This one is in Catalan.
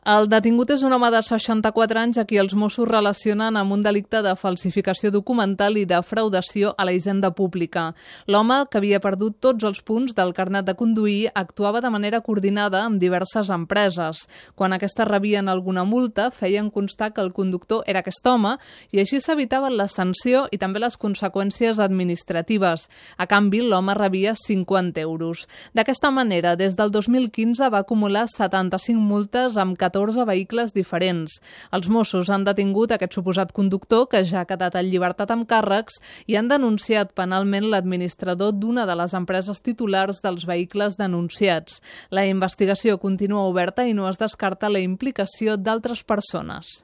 El detingut és un home de 64 anys a qui els Mossos relacionen amb un delicte de falsificació documental i defraudació a la hisenda pública. L'home, que havia perdut tots els punts del carnet de conduir, actuava de manera coordinada amb diverses empreses. Quan aquestes rebien alguna multa, feien constar que el conductor era aquest home i així s'evitaven la sanció i també les conseqüències administratives. A canvi, l'home rebia 50 euros. D'aquesta manera, des del 2015 va acumular 75 multes amb 14 vehicles diferents. Els Mossos han detingut aquest suposat conductor, que ja ha quedat en llibertat amb càrrecs, i han denunciat penalment l'administrador d'una de les empreses titulars dels vehicles denunciats. La investigació continua oberta i no es descarta la implicació d'altres persones.